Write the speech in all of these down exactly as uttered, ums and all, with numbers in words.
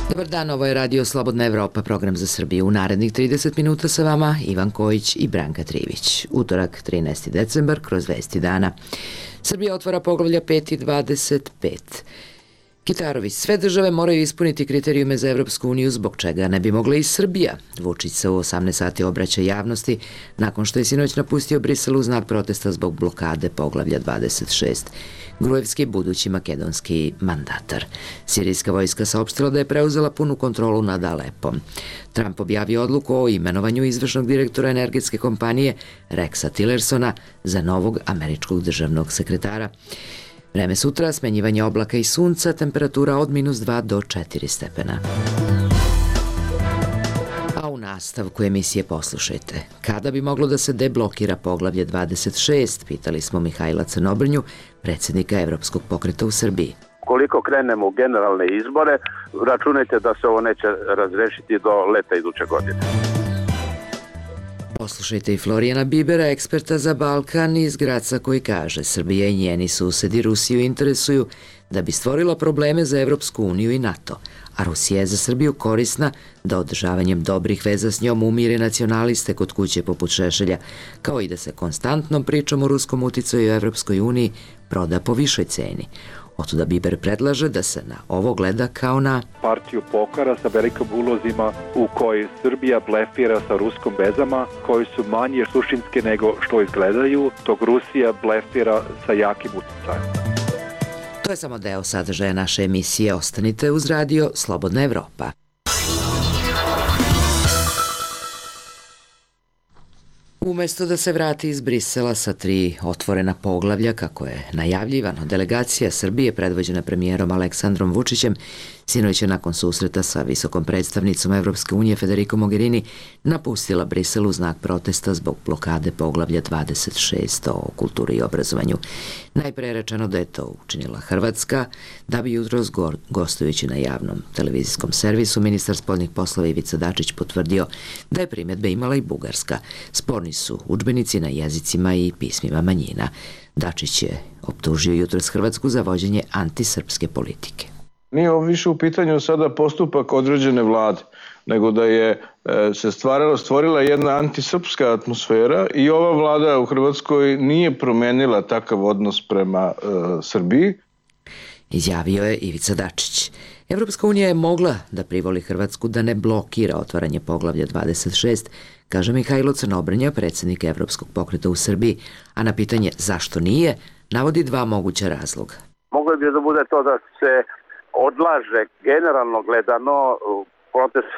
Dobar dan, ovo je Radio Slobodna Evropa, program za Srbiju. U narednih trideset minuta sa vama Ivan Kojić i Branka Trivić. Utorak, trinaesti decembar, kroz vesti dana. Srbija otvara poglavlja pet i dvadeset pet. Kitarović, sve države moraju ispuniti kriterijume za Evropsku uniju, zbog čega ne bi mogla i Srbija. Vučić se u osamnaest sati obraća javnosti nakon što je sinoć napustio Brisel u znak protesta zbog blokade poglavlja dvadeset šest. Gruevski, budući makedonski mandatar. Sirijska vojska saopštila da je preuzela punu kontrolu nad Alepom. Trump objavio odluku o imenovanju izvršnog direktora energetske kompanije Rexa Tillersona za novog američkog državnog sekretara. Vreme sutra, smenjivanje oblaka i sunca, temperatura od minus dva do četiri stepena. A u nastavku emisije poslušajte. Kada bi moglo da se deblokira poglavlje dvadeset šest, pitali smo Mihajla Crnobrnju, predsjednika Evropskog pokreta u Srbiji. Koliko krenemo u generalne izbore, računajte da se ovo neće razrešiti do leta iduće godine. Poslušajte i Florijana Bibera, eksperta za Balkan iz Graca, koji kaže: Srbija i njeni susedi Rusiju interesuju da bi stvorila probleme za Evropsku uniju i NATO, a Rusija je za Srbiju korisna da održavanjem dobrih veza s njom umire nacionaliste kod kuće poput Šešelja, kao i da se konstantnom pričom o ruskom uticaju u Evropskoj uniji proda po višoj ceni. Otuda Biber predlaže da se na ovo gleda kao na partiju pokara sa velikim ulozima u kojoj Srbija blefira sa ruskom vezama, koji su manje suštinske nego što izgledaju, dok Rusija blefira sa jakim uticajem. To je samo deo sadržaja naše emisije. Ostanite uz Radio Slobodna Evropa. Umesto da se vrati iz Brisela sa tri otvorena poglavlja, kako je najavljivano, delegacija Srbije predvođena premijerom Aleksandrom Vučićem sinoć je nakon susreta sa visokom predstavnicom Evropske unije Federico Mogherini napustila Brisel u znak protesta zbog blokade poglavlja dvadeset šest o kulturi i obrazovanju. Najpre je rečeno da je to učinila Hrvatska, da bi jutros gostujući na javnom televizijskom servisu ministar spoljnih poslova Ivica Dačić potvrdio da je primjedbe imala i Bugarska. Sporni su udžbenici na jezicima i pismima manjina. Dačić je optužio jutros Hrvatsku za vođenje antisrpske politike. Nije ovo više u pitanju sada postupak određene vlade, nego da je se stvarala, stvorila jedna antisrpska atmosfera i ova vlada u Hrvatskoj nije promenila takav odnos prema e, Srbiji. Izjavio je Ivica Dačić. Evropska unija je mogla da privoli Hrvatsku da ne blokira otvaranje poglavlja dvadeset šest, kaže Mihajlo Crnobrnja, predsjednik Evropskog pokreta u Srbiji, a na pitanje zašto nije, navodi dva moguća razloga. Moglo bi da bude to da se odlaže generalno gledano proces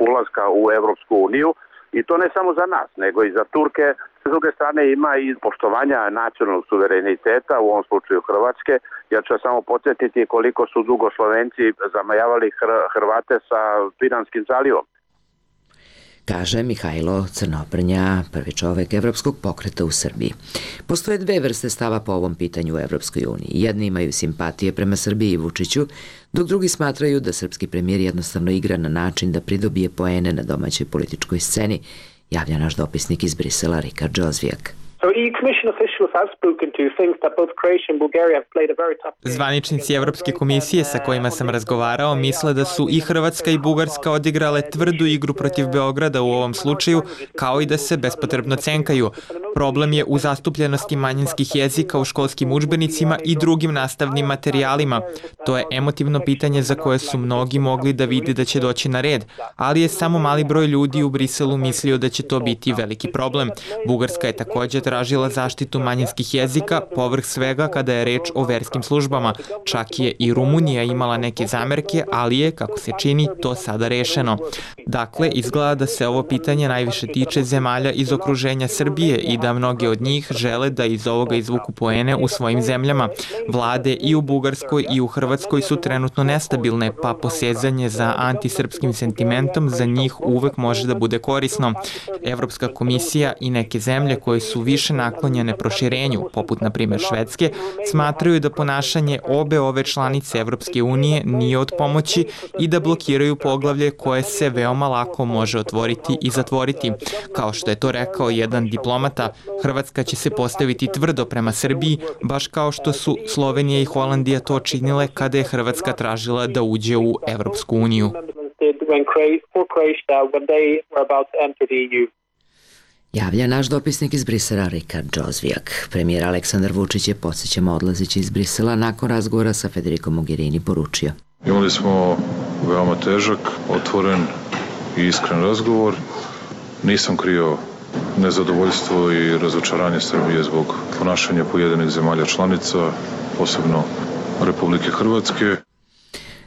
ulaska u Evropsku uniju i to ne samo za nas, nego i za Turke. S druge strane ima i poštovanja nacionalnog suvereniteta, u ovom slučaju Hrvatske. Ja ću samo podsjetiti koliko su dugo Slovenci zamajavali Hrvate sa Piranskim zalivom. Kaže Mihajlo Crnobrnja, prvi čovek Evropskog pokreta u Srbiji. Postoje dve vrste stava po ovom pitanju u Evropskoj uniji. Jedni imaju simpatije prema Srbiji i Vučiću, dok drugi smatraju da srpski premijer jednostavno igra na način da pridobije poene na domaćoj političkoj sceni, javlja naš dopisnik iz Brisela Rikard Džozvijak. Zvaničnici Evropske komisije sa kojima sam razgovarao misle da su i Hrvatska i Bugarska odigrale tvrdu igru protiv Beograda u ovom slučaju, kao i da se bespotrebno cenkaju. Problem je u zastupljenosti manjinskih jezika u školskim udžbenicima i drugim nastavnim materijalima. To je emotivno pitanje za koje su mnogi mogli da vide da će doći na red, ali je samo mali broj ljudi u Briselu mislio da će to biti veliki problem. Bugarska je također tražila zaštitu manjinskih jezika, povrh svega kada je reč o verskim službama. Čak je i Rumunija imala neke zamerke, ali je, kako se čini, to sada rešeno. Dakle, izgleda da se ovo pitanje najviše tiče zemalja iz okruženja Srbije i da mnogi od njih žele da iz ovoga izvuku poene u svojim zemljama. Vlade i u Bugarskoj i u Hrvatskoj su trenutno nestabilne, pa posezanje za antisrpskim sentimentom za njih uvek može da bude korisno. Evropska komisija i neke zemlje koje su više naklonjene proširenju, poput na primjer Švedske, smatraju da ponašanje obe ove članice Evropske unije nije od pomoći i da blokiraju poglavlje koje se veoma lako može otvoriti i zatvoriti. Kao što je to rekao jedan diplomata, Hrvatska će se postaviti tvrdo prema Srbiji, baš kao što su Slovenija i Holandija to činile kada je Hrvatska tražila da uđe u Evropsku uniju. Javlja naš dopisnik iz Brisela Rikard Džozvijak. Premijer Aleksandar Vučić je, podsjećamo, odlazeći iz Brisela nakon razgovora sa Federico Mogherini poručio. Imali smo veoma težak, otvoren i iskren razgovor. Nisam krio nezadovoljstvo i razočaranje Srbije zbog ponašanja pojedinih zemalja članica, posebno Republike Hrvatske.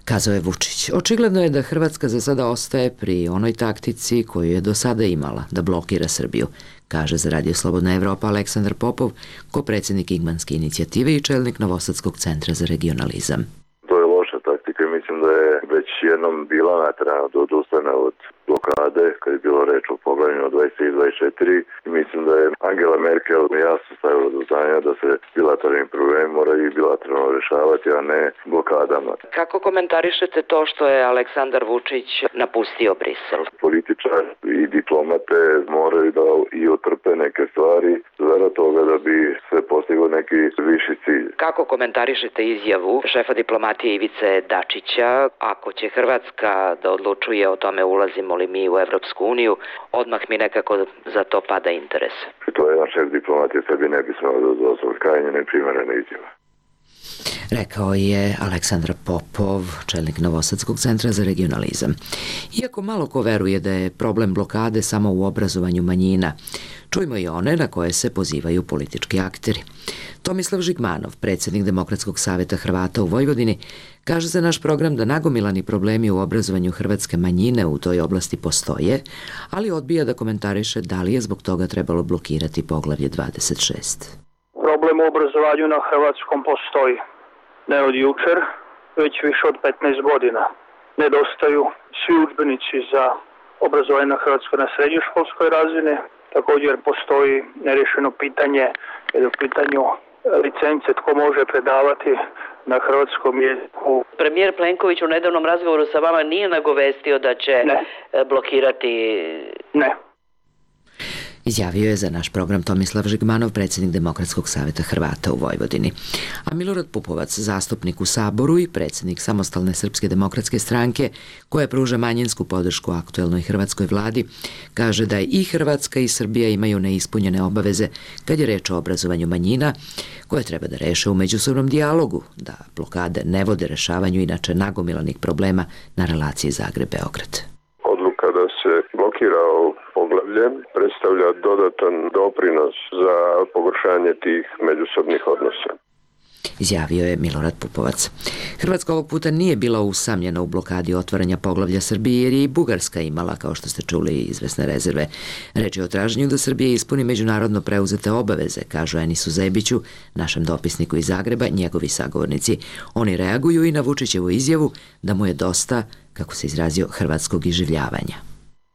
Kazao je Vučić. Očigledno je da Hrvatska za sada ostaje pri onoj taktici koju je do sada imala, da blokira Srbiju, kaže za Radio Slobodna Evropa Aleksandar Popov, ko-predsjednik Igmanske inicijative i čelnik Novosadskog centra za regionalizam. To je loša taktika i mislim da je već jednom bila naterana da odustane od blokade, kad je bilo reč o poglavljima dvadeset tri i dvadeset četiri, i mislim da je Angela Merkel jasno stavila do znanja da se bilateralni problemi moraju i bilateralno rešavati, a ne blokadama. Kako komentarišete to što je Aleksandar Vučić napustio Brisel? Političari i diplomate moraju da i otrpe neke stvari zarad toga da bi se postigao neki viši cilj. Kako komentarišete izjavu šefa diplomatije Ivice Dačića, ako će Hrvatska da odlučuje o tome ulazimo li mi u Evropsku uniju, odmah mi nekako za to pada interes. To je jedan šef diplomatije, sebi ne bi smelo da dozvoli krajnje neprimerene izjave. Rekao je Aleksandar Popov, čelnik Novosadskog centra za regionalizam. Iako malo ko veruje da je problem blokade samo u obrazovanju manjina, čujmo i one na koje se pozivaju politički akteri. Tomislav Žigmanov, predsjednik Demokratskog saveta Hrvata u Vojvodini, kaže za naš program da nagomilani problemi u obrazovanju hrvatske manjine u toj oblasti postoje, ali odbija da komentariše da li je zbog toga trebalo blokirati poglavlje dvadeset šest. Problem u obrazovanju na hrvatskom postoji. Ne od jučer, već više od petnaest godina. Nedostaju svi udžbenici za obrazovanje na hrvatskoj na srednjoškolskoj razini. Također postoji nerješeno pitanje, jer u pitanju licence tko može predavati na hrvatskom jeziku. Premijer Plenković u nedavnom razgovoru sa vama nije nagovestio da će ne. blokirati... Ne. Izjavio je za naš program Tomislav Žigmanov, predsjednik Demokratskog saveta Hrvata u Vojvodini. A Milorad Pupovac, zastupnik u Saboru i predsjednik Samostalne srpske demokratske stranke, koja pruža manjinsku podršku aktuelnoj hrvatskoj vladi, kaže da i Hrvatska i Srbija imaju neispunjene obaveze kad je reč o obrazovanju manjina, koje treba da reše u međusobnom dijalogu, da blokade ne vode rešavanju inače nagomilanih problema na relaciji Zagreb-Beograd. Odluka da se blokira poglavlje predstavlja dodatan doprinos za pogoršanje tih međusobnih odnosa. Izjavio je Milorad Pupovac. Hrvatska ovog puta nije bila usamljena u blokadi otvaranja poglavlja Srbije, jer je i Bugarska imala, kao što ste čuli, izvesne rezerve. Reč je o traženju da Srbija ispuni međunarodno preuzete obaveze, kažu Enisu Zebiću, našem dopisniku iz Zagreba, njegovi sagovornici. Oni reaguju i na Vučićevu izjavu da mu je dosta, kako se izrazio, hrvatskog iživljavanja.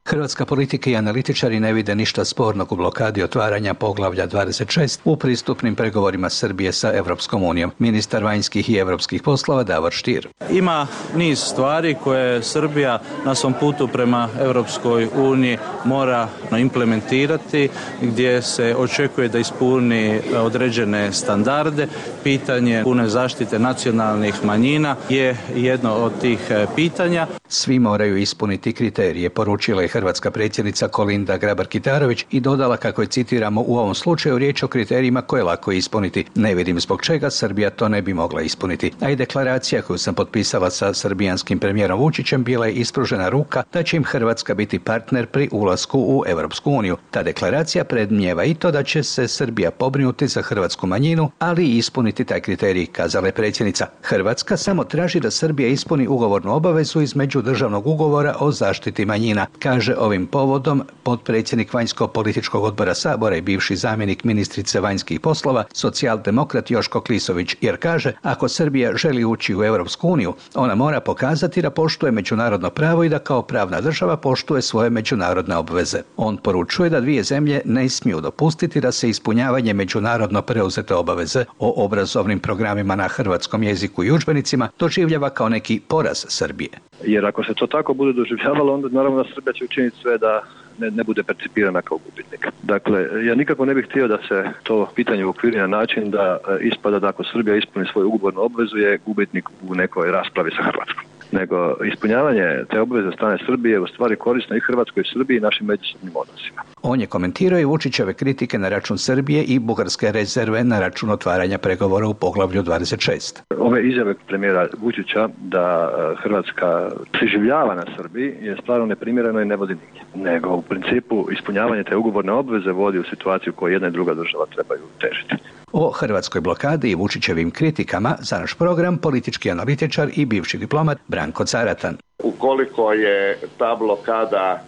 Hrvatska politika i analitičari ne vide ništa spornog u blokadi otvaranja poglavlja dvadeset šest u pristupnim pregovorima Srbije sa Evropskom unijom. Ministar vanjskih i evropskih poslova Davor Stier. Ima niz stvari koje Srbija na svom putu prema Evropskoj uniji mora implementirati, gdje se očekuje da ispuni određene standarde. Pitanje pune zaštite nacionalnih manjina je jedno od tih pitanja. Svi moraju ispuniti kriterije, poručila je hrvatska predsjednica Kolinda Grabar-Kitarović i dodala kako je, citiramo, u ovom slučaju riječ o kriterijima koje je lako ispuniti. Ne vidim zbog čega Srbija to ne bi mogla ispuniti. A i deklaracija koju sam potpisala sa srbijanskim premijerom Vučićem bila je ispružena ruka da će im Hrvatska biti partner pri ulazu ulasku u Europsku uniju. Ta deklaracija predmnijeva i to da će se Srbija pobrinuti za hrvatsku manjinu, ali i ispuniti taj kriterij, kazala je predsjednica. Hrvatska samo traži da Srbija ispuni ugovornu obavezu iz međudržavnog ugovora o zaštiti manjina, kaže ovim povodom potpredsjednik vanjsko-političkog odbora Sabora i bivši zamjenik ministrice vanjskih poslova, socijaldemokrat Joško Klisović, jer kaže, ako Srbija želi ući u Europsku uniju, ona mora pokazati da poštuje međunarodno pravo i da kao pravna država poštuje svoje međunarodne obveze. On poručuje da dvije zemlje ne smiju dopustiti da se ispunjavanje međunarodno preuzete obaveze o obrazovnim programima na hrvatskom jeziku i udžbenicima doživljava kao neki poraz Srbije. Jer ako se to tako bude doživljavalo, onda naravno Srbija će učiniti sve da ne, ne bude percipirana kao gubitnik. Dakle, ja nikako ne bih htio da se to pitanje uokviri na način da ispada da ako Srbija ispuni svoju ugovornu obvezu je gubitnik u nekoj raspravi sa Hrvatskom. Nego ispunjavanje te obveze strane Srbije je u stvari korisno i Hrvatskoj i Srbiji i našim međusobnim odnosima. On je komentirao i Vučićeve kritike na račun Srbije i bugarske rezerve na račun otvaranja pregovora u poglavlju dvadeset šest. Ove izjave premijera Vučića da Hrvatska preživljava na Srbiji je stvarno neprimjereno i ne vodi nigdje. Nego u principu ispunjavanje te ugovorne obveze vodi u situaciju koju jedna i druga država trebaju težiti. O hrvatskoj blokadi i Vučićevim kritikama za naš program politički analitičar i bivši diplomat Branko Caratan. Ukoliko je ta blokada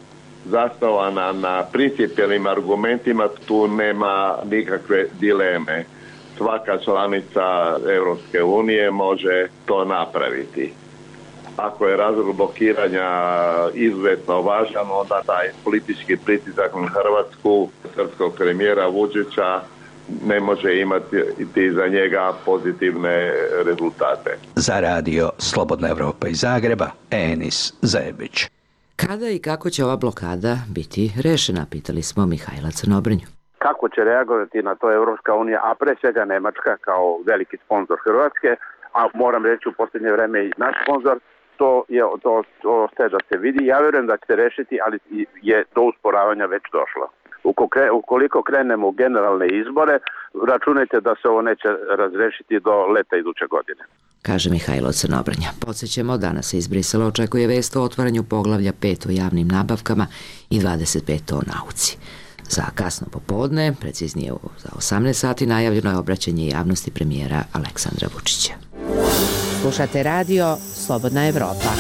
zasnovana na principijelnim argumentima, tu nema nikakve dileme. Svaka članica Europske unije može to napraviti. Ako je razlog blokiranja izuzetno važan, onda taj politički pritisak na Hrvatsku, srpskog premijera Vučića, ne može imati za njega pozitivne rezultate. Za radio Slobodna Evropa iz Zagreba, Enis Zebić. Kada i kako će ova blokada biti rešena, pitali smo Mihajla Crnobrnju. Kako će reagovati na to Evropska unija, a pre svega Nemačka kao veliki sponsor Hrvatske, a moram reći u posljednje vreme i naš sponsor, to je to, to ostaje da se vidi. Ja vjerujem da će se rešiti, ali je do usporavanja već došlo. Ukoliko krenemo u generalne izbore, računajte da se ovo neće razrešiti do leta iduće godine. Kaže Mihajlo Crnobrnja. Podsjećamo, danas se iz Brisela očekuje vest o otvaranju poglavlja pet o javnim nabavkama i dvadeset pet o nauci. Za kasno popodne, preciznije za osamnaest sati, najavljeno je obraćanje javnosti premijera Aleksandra Vučića. Slušate radio Slobodna Evropa.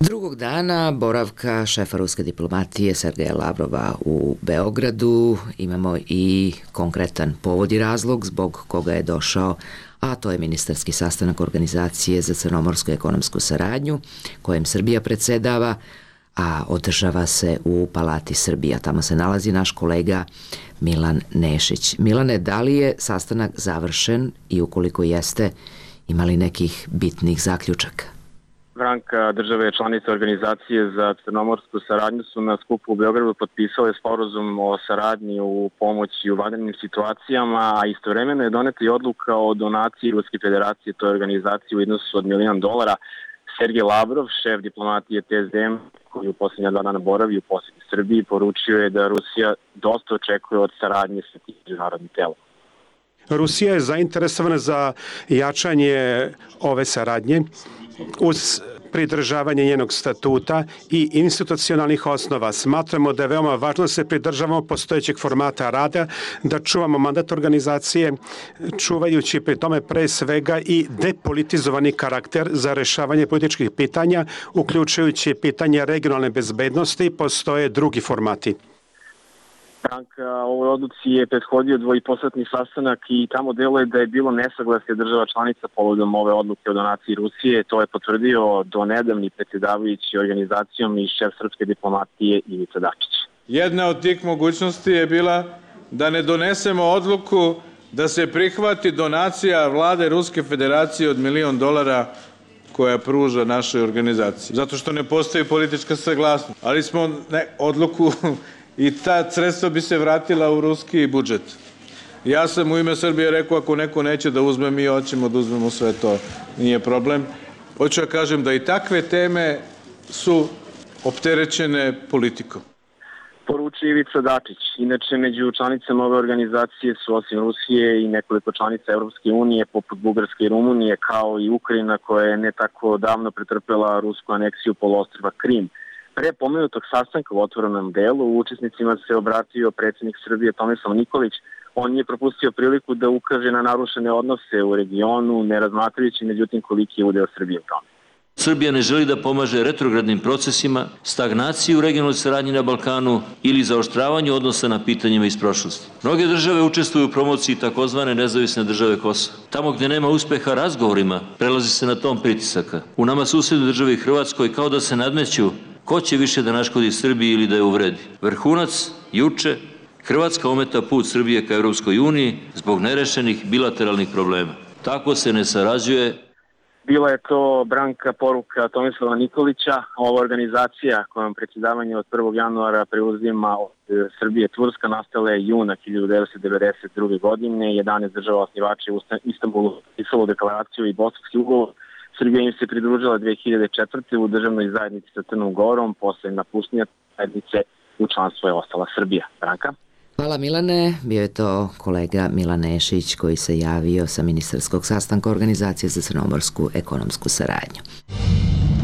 Drugog dana boravka šefa ruske diplomatije Sergeja Lavrova u Beogradu imamo i konkretan povod i razlog zbog koga je došao, a to je ministarski sastanak Organizacije za crnomorsku ekonomsku saradnju, kojem Srbija predsedava, a održava se u Palati Srbija. Tamo se nalazi naš kolega Milan Nešić. Milane, da li je sastanak završen i ukoliko jeste, ima li nekih bitnih zaključaka? Branka, države članice Organizacije za crnomorsku saradnju su na skupu u Beogradu potpisale sporazum o saradnji u pomoći u vanrednim situacijama, a istovremeno je doneta i odluka o donaciji Ruske federacije toj organizaciji u iznosu od milion dolara. Sergej Lavrov, šef diplomatije T S D M, koji u posljednja dva dana boravi u posjeti Srbiji, poručio je da Rusija dosta očekuje od saradnje sa tim međunarodnim telom. Rusija je zainteresovana za jačanje ove saradnje uz pridržavanje njenog statuta i institucionalnih osnova. Smatramo da je veoma važno da se pridržavamo postojećeg formata rada, da čuvamo mandat organizacije, čuvajući pri tome pre svega i depolitizovani karakter za rešavanje političkih pitanja, uključujući pitanje regionalne bezbednosti, postoje drugi formati. Branka, ovoj odluci je prethodio dvojiposatni sastanak i tamo deluje da je bilo nesaglasje država članica povodom ove odluke o donaciji Rusije. To je potvrdio do nedavni predsjedavajući organizacijom i šef srpske diplomatije Ivica Dačić. Jedna od tih mogućnosti je bila da ne donesemo odluku da se prihvati donacija vlade Ruske federacije od milion dolara koja pruža našoj organizaciji. Zato što ne postoji politička saglasnost. Ali smo ne, odluku i ta sredstva bi se vratila u ruski budžet. Ja sam u ime Srbije rekao, ako neko neće da uzme, mi hoćemo da uzmemo sve to, nije problem. Hoću da kažem da i takve teme su opterećene politikom. Poručuje Ivica Dačić. Inače, među članicama ove organizacije su osim Rusije i nekoliko članica Evropske unije, poput Bugarske i Rumunije, kao i Ukrajina, koja je ne tako davno pretrpela rusku aneksiju poluostrva Krim. Pre pomenutog sastanka u otvorenom delu učesnicima se obratio predsjednik Srbije Tomislav Nikolić. On je propustio priliku da ukaže na narušene odnose u regionu, ne razmatrajući međutim koliki je udeo Srbije u tome. Srbija ne želi da pomaže retrogradnim procesima, stagnaciji u regionalnoj saradnji na Balkanu ili zaoštravanju odnosa na pitanjima iz prošlosti. Mnoge države učestvuju u promociji takozvane nezavisne države Kosova. Tamo gde nema uspeha razgovorima, prelazi se na tom pritisaka. U nama susednoj državi Hrvatskoj kao da se nadmeću ko će više da naškodi Srbiji ili da je uvredi. Vrhunac, juče, Hrvatska ometa put Srbije ka Europskoj uniji zbog nerešenih bilateralnih problema. Tako se ne sarađuje. Bila je to Branka poruka Tomislava Nikolića. Ova organizacija kojom predsjedavanje od prvog januara preuzima od Srbije Turska nastala je juna hiljadu devetsto devedeset druge. godine. jedanaest država osnivača u Istanbulu potpisalo deklaraciju i Bosanski ugovor. Srbija im se pridružila dve hiljade četvrte. u državnoj zajednici sa Crnom Gorom. Posle napuštanja zajednice u članstvo je ostala Srbija. Branka? Hvala Milane, bio je to kolega Milan Nešić koji se javio sa ministarskog sastanka Organizacije za crnomorsku ekonomsku saradnju.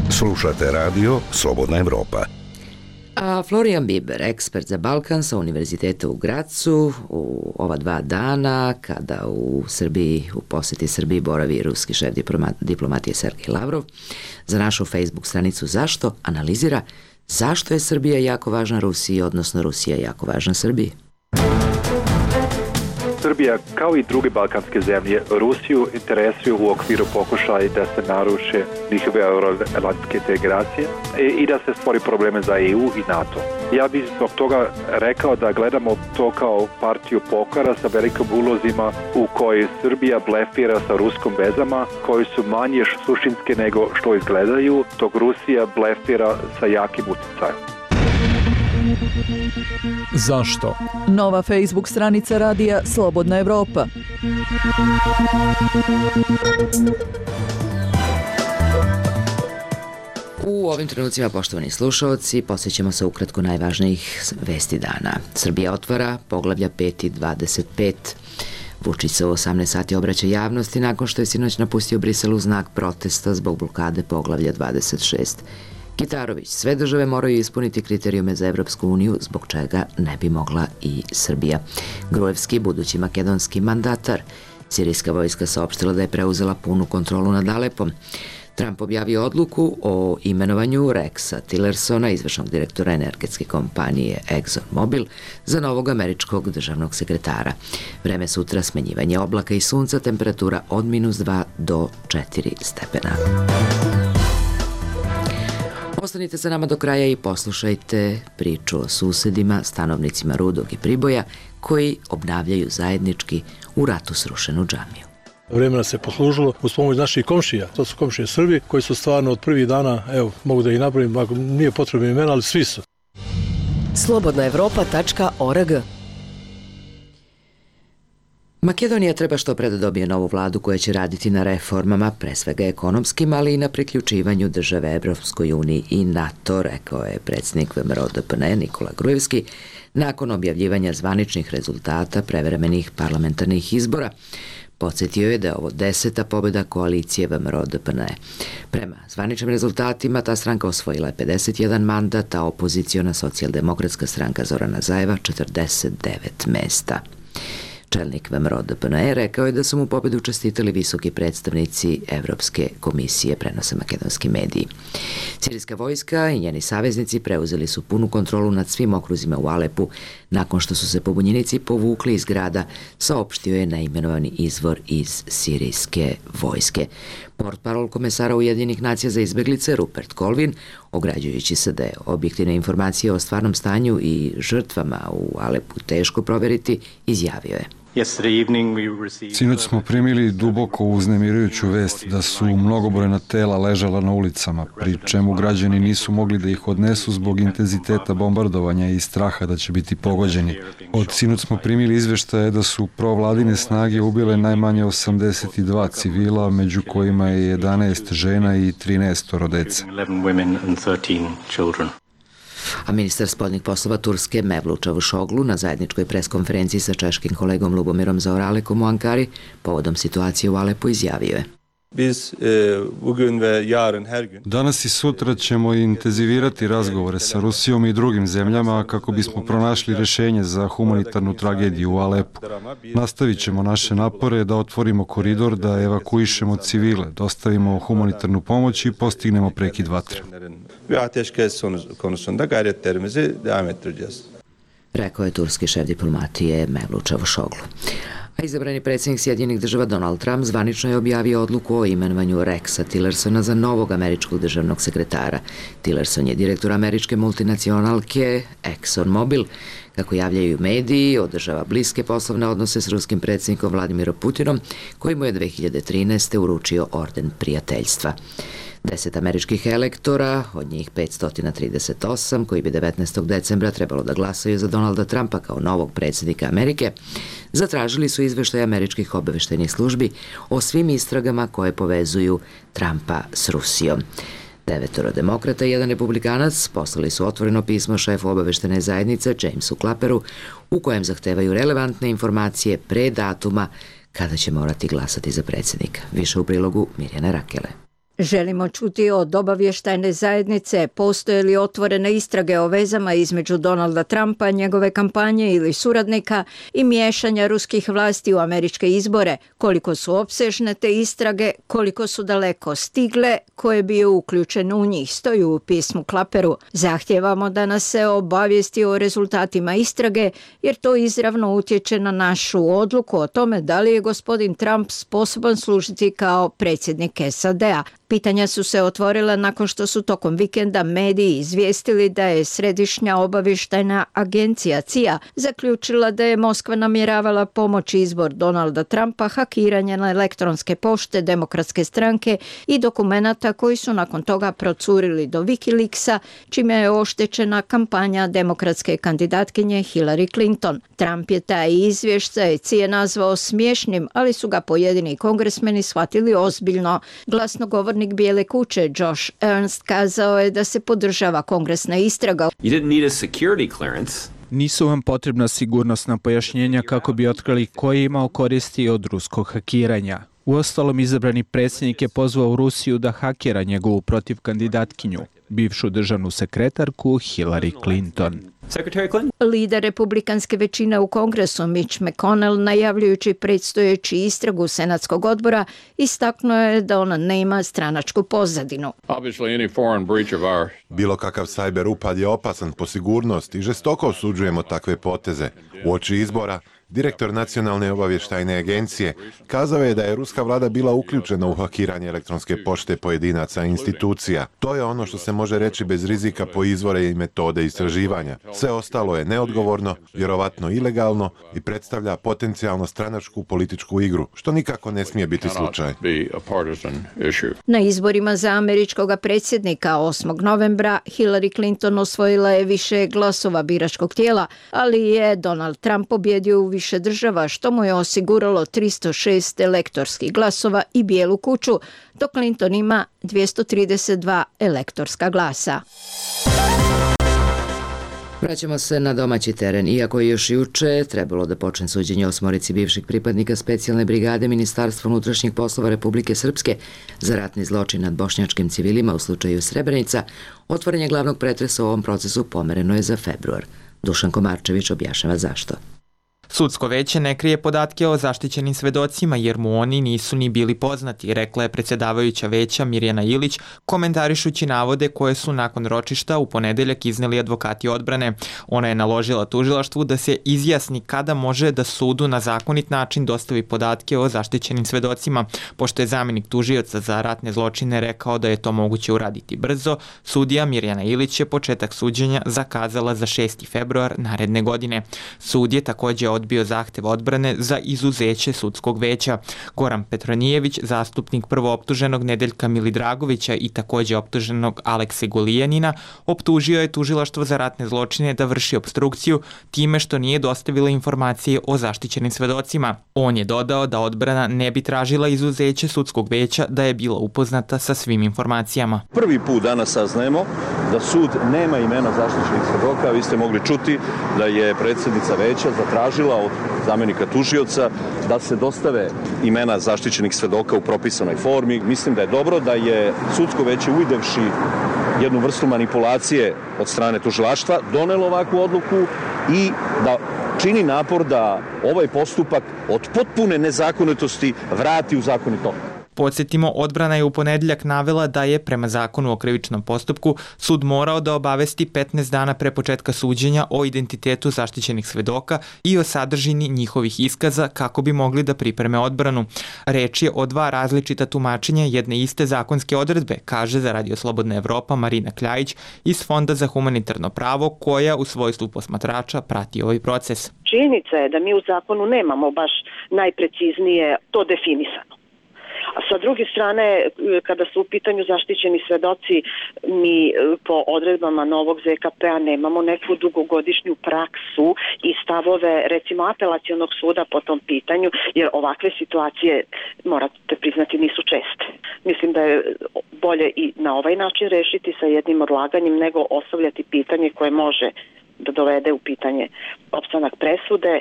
Slušate radio Slobodna Evropa. A Florian Biber, ekspert za Balkan sa Univerziteta u Gracu, u ova dva dana kada u Srbiji, u poseti Srbiji boravi ruski šef diplomatije Sergej Lavrov, za našu Facebook stranicu Zašto analizira zašto je Srbija jako važna Rusiji, odnosno Rusija jako važna Srbiji. Srbija, kao i druge balkanske zemlje, Rusiju interesuju u okviru pokušaja da se naruše njihove euroatlantske integracije i da se stvori probleme za E U i NATO. Ja bih zbog toga rekao da gledamo to kao partiju pokora sa velikim ulozima u kojoj Srbija blefira sa ruskom vezama, koji su manje suštinske nego što izgledaju, dok Rusija blefira sa jakim utjecajem. Zašto? Nova Facebook stranica radija Slobodna Evropa. U ovim trenucima, poštovani slušalci, posjećamo se ukratko najvažnijih vesti dana. Srbija otvara poglavlja pet i dvadeset pet. Vučić se u osamnaest sati obraća javnosti nakon što je sinoć napustio Brisel u znak protesta zbog blokade poglavlja dvadeset šest. Kitarović, sve države moraju ispuniti kriterijume za Evropsku uniju, zbog čega ne bi mogla i Srbija. Gruevski, budući makedonski mandatar. Sirijska vojska saopštila da je preuzela punu kontrolu nad Alepom. Trump objavio odluku o imenovanju Rexa Tillersona, izvršnog direktora energetske kompanije ExxonMobil, za novog američkog državnog sekretara. Vreme sutra smenjivanje oblaka i sunca, temperatura od minus dva do četiri stepena. Ostanite sa nama do kraja i poslušajte priču o susedima, stanovnicima Rudog i Priboja, koji obnavljaju zajednički u ratu srušenu džamiju. Vremena se poslužilo uz pomoć naših komšija. To su komšije Srbi koji su stvarno od prvih dana, evo, mogu da ih napravim, ako nije potrebno imena, ali svi su. slobodna evropa tačka org. Makedonija treba što pre da dobije novu vladu koja će raditi na reformama, pre svega ekonomskim, ali i na priključivanju države Evropskoj uniji i NATO, rekao je predsjednik V M R O D P N E Nikola Gruevski, nakon objavljivanja zvaničnih rezultata prevremenih parlamentarnih izbora. Podsjetio je da je ovo deseta pobjeda koalicije V M R O D P N E. Prema zvaničnim rezultatima ta stranka osvojila je pedeset jedan mandat, a opoziciona socijaldemokratska stranka Zorana Zajeva četrdeset devet mesta. Čelnik V M R O D P N E rekao je da su mu pobedu čestitali visoki predstavnici Evropske komisije, prenose makedonski mediji. Sirijska vojska i njeni saveznici preuzeli su punu kontrolu nad svim okruzima u Alepu nakon što su se pobunjenici povukli iz grada, saopštio je neimenovani izvor iz sirijske vojske. Portparol komesara Ujedinjenih nacija za izbeglice Rupert Colvin, ograđujući se da je objektivne informacije o stvarnom stanju i žrtvama u Alepu teško proveriti, izjavio je: Sinoć smo primili duboko uznemirujuću vest da su mnogobrojna tela ležala na ulicama, pri čemu građani nisu mogli da ih odnesu zbog intenziteta bombardovanja i straha da će biti pogođeni. Od sinoć smo primili izveštaje da su provladine snage ubile najmanje osamdeset dva civila, među kojima je jedanaest žena i trinaest dece. A ministar spoljnih poslova Turske Mevlut Čavuşoglu na zajedničkoj preskonferenciji sa češkim kolegom Lubomirom Zaoralekom u Ankari povodom situacije u Alepu izjavio je: Danas i sutra ćemo intenzivirati razgovore sa Rusijom i drugim zemljama kako bismo pronašli rješenje za humanitarnu tragediju u Alepu. Nastavit ćemo naše napore da otvorimo koridor, da evakuišemo civile, dostavimo humanitarnu pomoć i postignemo prekid vatre. Rekao je turski šef diplomatije Mevlut Čavuşoglu. A izabrani predsjednik Sjedinjenih država Donald Trump zvanično je objavio odluku o imenovanju Rexa Tillersona za novog američkog državnog sekretara. Tillerson je direktor američke multinacionalke ExxonMobil. Kako javljaju mediji, održava bliske poslovne odnose s ruskim predsjednikom Vladimirom Putinom, koji mu je dve hiljade trinaeste. uručio orden prijateljstva. Deset američkih elektora, od njih petsto trideset osam, koji bi devetnaestog decembra trebalo da glasaju za Donalda Trumpa kao novog predsjednika Amerike, zatražili su izveštaj američkih obaveštajnih službi o svim istragama koje povezuju Trumpa s Rusijom. Devetoro demokrata i jedan republikanac poslali su otvoreno pismo šefu obaveštene zajednice Jamesu Clapperu u kojem zahtevaju relevantne informacije pre datuma kada će morati glasati za predsjednika. Više u prilogu Mirjane Rakele. Želimo čuti od obavještajne zajednice postoje li otvorene istrage o vezama između Donalda Trumpa, njegove kampanje ili suradnika i miješanja ruskih vlasti u američke izbore, koliko su opsežne te istrage, koliko su daleko stigle, ko je bio uključen u njih, stoji u pismu Clapperu. Zahtijevamo da nas se obavijesti o rezultatima istrage, jer to izravno utječe na našu odluku o tome da li je gospodin Trump sposoban služiti kao predsjednik S A D-a. Pitanja su se otvorila nakon što su tokom vikenda mediji izvijestili da je Središnja obavještajna agencija C I A zaključila da je Moskva namjeravala pomoći izbor Donalda Trumpa hakiranje na elektronske pošte Demokratske stranke i dokumenata koji su nakon toga procurili do Wikileaksa, čime je oštećena kampanja demokratske kandidatkinje Hillary Clinton. Trump je taj izvještaj C I A nazvao smiješnim, ali su ga pojedini kongresmeni shvatili ozbiljno. Glasnogovornik Bijele kuće Josh Ernst kazao je da se podržava kongresna istraga. Nisu vam potrebna sigurnosna pojašnjenja kako bi otkrili ko je imao koristi od ruskog hakiranja. Uostalom, izabrani predsjednik je pozvao Rusiju da hakira njegovu protiv kandidatkinju, bivšu državnu sekretarku Hillary Clinton. Lider republikanske većine u Kongresu Mitch McConnell, najavljujući predstojeći istragu Senatskog odbora, istaknuo je da ona nema stranačku pozadinu. Bilo kakav sajber upad je opasan po sigurnost i žestoko osuđujemo takve poteze. Uoči izbora, direktor Nacionalne obavještajne agencije kazao je da je ruska vlada bila uključena u hakiranje elektronske pošte pojedinaca i institucija. To je ono što se može reći bez rizika po izvore i metode istraživanja. Sve ostalo je neodgovorno, vjerovatno ilegalno i predstavlja potencijalno stranačku političku igru, što nikako ne smije biti slučaj. Na izborima za američkog predsjednika osmog novembra Hillary Clinton osvojila je više glasova biračkog tijela, ali je Donald Trump pobjedio u više država, što mu je osiguralo tristo šest elektorskih glasova i Bijelu kuću, dok Clinton ima dvjesto trideset dva elektorska glasa. Vraćamo se na domaći teren. Iako je još juče trebalo da počne suđenje osmorici bivših pripadnika specijalne brigade Ministarstva unutrašnjih poslova Republike Srpske za ratni zločin nad bošnjačkim civilima u slučaju Srebrenica, otvorenje glavnog pretresa u ovom procesu pomereno je za februar. Dušan Komarčević objašnjava zašto. Sudsko veće ne krije podatke o zaštićenim svedocima jer mu oni nisu ni bili poznati, rekla je predsjedavajuća veća Mirjana Ilić, komentarišući navode koje su nakon ročišta u ponedeljak izneli advokati odbrane. Ona je naložila tužilaštvu da se izjasni kada može da sudu na zakonit način dostavi podatke o zaštićenim svedocima, pošto je zamjenik tužioca za ratne zločine rekao da je to moguće uraditi brzo. Sudija Mirjana Ilić je početak suđenja zakazala za šesti februar naredne godine. Sud je također odbio zahtev odbrane za izuzeće sudskog veća. Goran Petronijević, zastupnik prvooptuženog Nedeljka Milidragovića i također optuženog Alekse Gulijanina, optužio je tužilaštvo za ratne zločine da vrši opstrukciju time što nije dostavilo informacije o zaštićenim svedocima. On je dodao da odbrana ne bi tražila izuzeće sudskog veća da je bila upoznata sa svim informacijama. Prvi put danas saznajemo da sud nema imena zaštićenih svedoka. Vi ste mogli čuti da je predsjednica veća zatražila od zamenika tužioca da se dostave imena zaštićenih svedoka u propisanoj formi. Mislim da je dobro da je sudsko veće, uvidevši jednu vrstu manipulacije od strane tužilaštva, donelo ovakvu odluku i da čini napor da ovaj postupak od potpune nezakonitosti vrati u zakonito. Podsjetimo, odbrana je u ponedjeljak navela da je prema zakonu o krivičnom postupku sud morao da obavesti petnaest dana pre početka suđenja o identitetu zaštićenih svedoka i o sadržini njihovih iskaza kako bi mogli da pripreme odbranu. Reč je o dva različita tumačenja jedne iste zakonske odredbe, kaže za Radio Slobodna Evropa Marina Kljajić iz Fonda za humanitarno pravo, koja u svojstvu posmatrača prati ovaj proces. Činjenica je da mi u zakonu nemamo baš najpreciznije to definisano. A sa druge strane, kada su u pitanju zaštićeni svedoci, mi po odredbama novog Z K P-a nemamo neku dugogodišnju praksu i stavove, recimo, apelacionog suda po tom pitanju, jer ovakve situacije, morate priznati, nisu česte. Mislim da je bolje i na ovaj način rešiti sa jednim odlaganjem nego ostavljati pitanje koje može da dovede u pitanje opstanak presude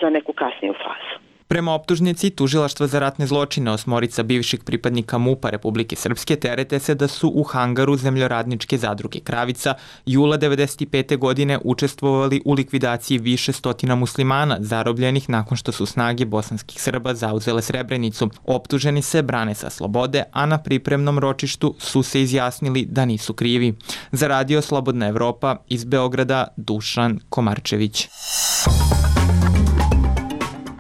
za neku kasniju fazu. Prema optužnici, Tužilaštvo za ratne zločine osmorica bivših pripadnika MUP-a Republike Srpske terete se da su u hangaru zemljoradničke zadruge Kravica jula devedeset pete godine učestvovali u likvidaciji više stotina muslimana zarobljenih nakon što su snage bosanskih Srba zauzele Srebrenicu. Optuženi se brane sa slobode, a na pripremnom ročištu su se izjasnili da nisu krivi. Za Radio Slobodna Evropa iz Beograda, Dušan Komarčević.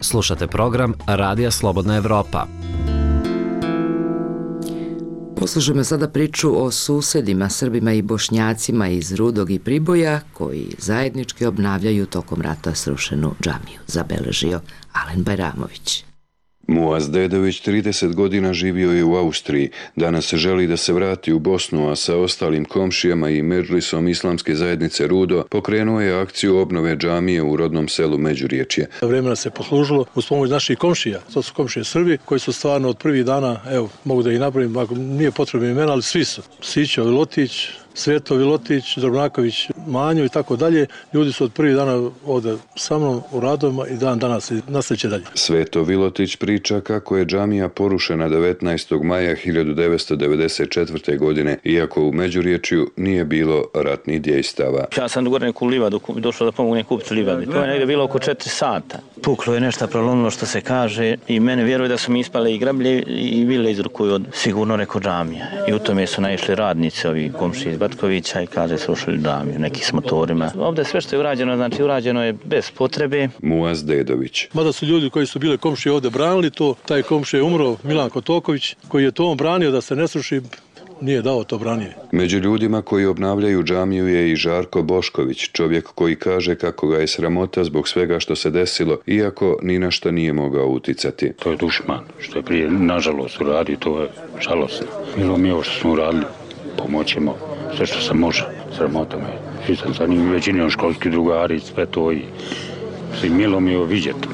Slušate program Radija Slobodna Evropa. Poslušajmo sada priču o susedima, Srbima i Bošnjacima iz Rudog i Priboja, koji zajednički obnavljaju tokom rata srušenu džamiju, zabeležio Alen Bajramović. Muaz Dedović trideset godina živio je u Austriji. Danas želi da se vrati u Bosnu, a sa ostalim komšijama i medžlisom islamske zajednice Rudo pokrenuo je akciju obnove džamije u rodnom selu Međuriječje. Vremena se poslužilo uz pomoć naših komšija. To su komšije Srbi koji su stvarno od prvih dana, evo, mogu da ih napravim, ako nije potrebno imena, ali svi su. Sićo Vilotić, Sveto Vilotić, Drobnaković, Manjo i tako dalje. Ljudi su od prvih dana ovde sa mnom u radovima i dan danas i nastavit će dalje. Sveto Vilotić priča kako je džamija porušena devetnaestog maja hiljadu devetsto devedeset četvrte. godine, iako u Međuriječju nije bilo ratnih djejstava. Ja sam gore neku livadu došao da pomogu kupiti livadi. To je negdje bilo oko četiri sata. Puklo je nešto, prolomilo što se kaže i mene vjeruje da su mi ispale i grablje i vile izrukuju od sigurno neko džamija. I u tome su naišli radnici, ovi komšiji iz Batkovića i kaže srušili džamiju, neki s motorima. Ovdje sve što je urađeno, znači urađeno je bez potrebe. Muaz Dedović. Mada su ljudi koji su bile komšije ovdje branili to, taj komšije je umro, Milan Kotoković, koji je to on branio da se ne sruši, nije dao to branije. Među ljudima koji obnavljaju džamiju je i Žarko Bošković, čovjek koji kaže kako ga je sramota zbog svega što se desilo, iako ni na šta nije mogao uticati. To je dušman, što je prije nažalost uradio, to je žalosno. Milo mi je ovo što smo uradili, pomoćemo sve što se može, sramota me. Svi sam sa njim većinom školski drugari, sve to i svi milo mi je ovo vidjeti.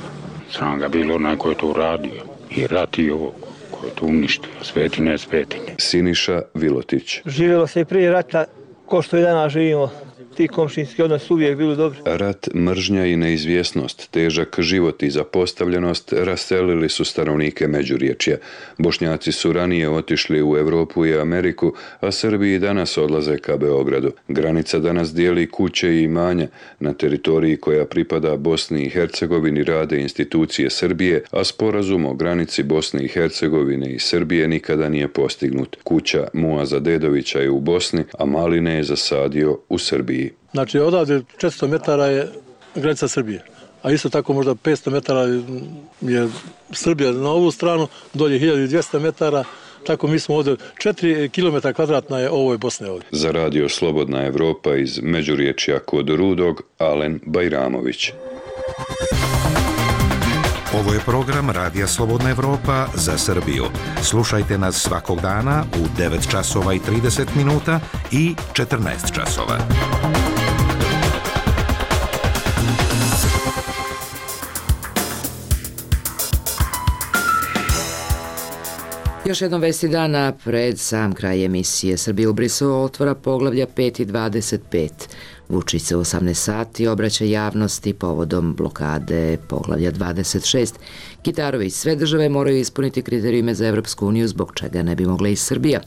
Sram ga bilo onaj ko je to uradio i rat i ovo koje to uništio, sveti ne svetinje. Siniša Vilotić. Živjelo se i prije rata, ko što i danas živimo. Ti komšinski odnos uvijek bili dobri. Rat, mržnja i neizvjesnost, težak život i zapostavljenost raselili su stanovnike Međuriječja. Bošnjaci su ranije otišli u Evropu i Ameriku, a Srbi i danas odlaze ka Beogradu. Granica danas dijeli kuće i imanja. Na teritoriji koja pripada Bosni i Hercegovini rade institucije Srbije, a sporazum o granici Bosne i Hercegovine i Srbije nikada nije postignut. Kuća Muaza Dedovića je u Bosni, a maline je zasadio u Srbiji. Znači, odavde četiristo metara je granica Srbije, a isto tako možda petsto metara je Srbija na ovu stranu, dolje hiljadu dvjesto metara, tako mi smo ovdje, četiri kilometra kvadratna je ovoj Bosne ovdje. Za Radio Slobodna Evropa iz Međuriječja kod Rudog, Alen Bajramović. Ovo je program Radija Slobodna Evropa za Srbiju. Slušajte nas svakog dana u devet časova i trideset minuta i četrnaest časova. Još jednom vesti dana pred sam kraj emisije. Srbija u Briselu otvara poglavlja pet i dvadeset pet. Vučić se u osamnaest sati obraća javnosti povodom blokade poglavlja dvadeset šest. Kitarović, sve države moraju ispuniti kriterijume za Evropsku uniju, zbog čega ne bi mogla i Srbija.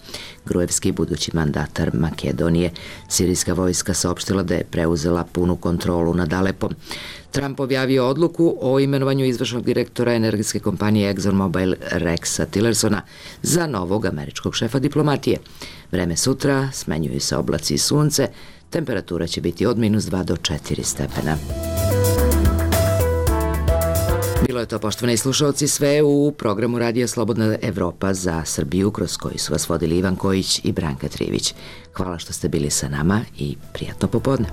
Gruevski, budući mandatar Makedonije. Sirijska vojska saopštila da je preuzela punu kontrolu nad Alepom. Trump objavio odluku o imenovanju izvršnog direktora energetske kompanije ExxonMobil Rexa Tillersona za novog američkog šefa diplomatije. Vreme sutra, smenjuju se oblaci i sunce, temperatura će biti od minus dva do četiri stepena. Bilo je to, poštovani slušalci, sve u programu Radija Slobodna Evropa za Srbiju, kroz koji su vas vodili Ivan Kojić i Branka Trivić. Hvala što ste bili sa nama i prijatno popodne.